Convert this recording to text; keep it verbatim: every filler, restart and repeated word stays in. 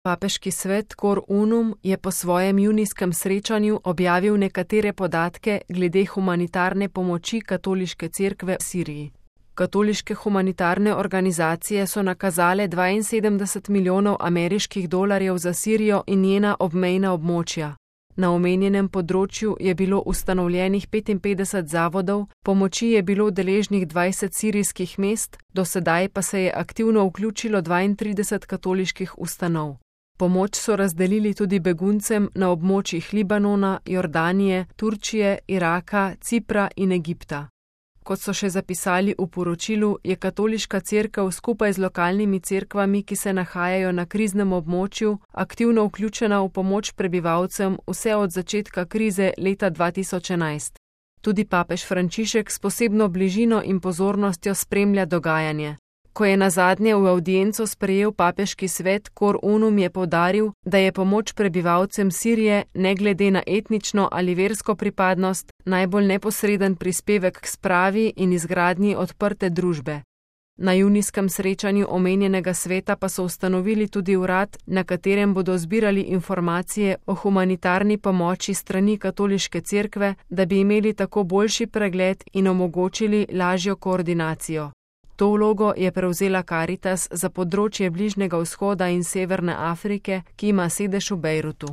Papeški svet Cor Unum je po svojem junijskem srečanju objavil nekatere podatke glede humanitarne pomoči katoliške cerkve v Siriji. Katoliške humanitarne organizacije so nakazale dvainsedemdeset milijonov ameriških dolarjev za Sirijo in njena obmejna območja. Na omenjenem področju je bilo ustanovljenih petinpetdeset zavodov, pomoči je bilo deležnih dvajset sirijskih mest, do sedaj pa se je aktivno vključilo dvaintrideset katoliških ustanov. Pomoč so razdelili tudi beguncem na območjih Libanona, Jordanije, Turčije, Iraka, Cipra in Egipta. Kot so še zapisali v poročilu, je katoliška cerkev skupaj z lokalnimi cerkvami, ki se nahajajo na kriznem območju, aktivno vključena v pomoč prebivalcem vse od začetka krize leta dva tisoč enajst. Tudi papež Frančišek s posebno bližino in pozornostjo spremlja dogajanje. Ko je nazadnje v avdienco sprejel papeški svet, Cor Unum je poudaril, da je pomoč prebivalcem Sirije, ne glede na etnično ali versko pripadnost, najbolj neposreden prispevek k spravi in izgradnji odprte družbe. Na junijskem srečanju omenjenega sveta pa so ustanovili tudi urad, na katerem bodo zbirali informacije o humanitarni pomoči strani katoliške cerkve, da bi imeli tako boljši pregled in omogočili lažjo koordinacijo. To vlogo je prevzela Karitas za področje Bližnjega vzhoda in Severne Afrike, ki ima sedež v Bejrutu.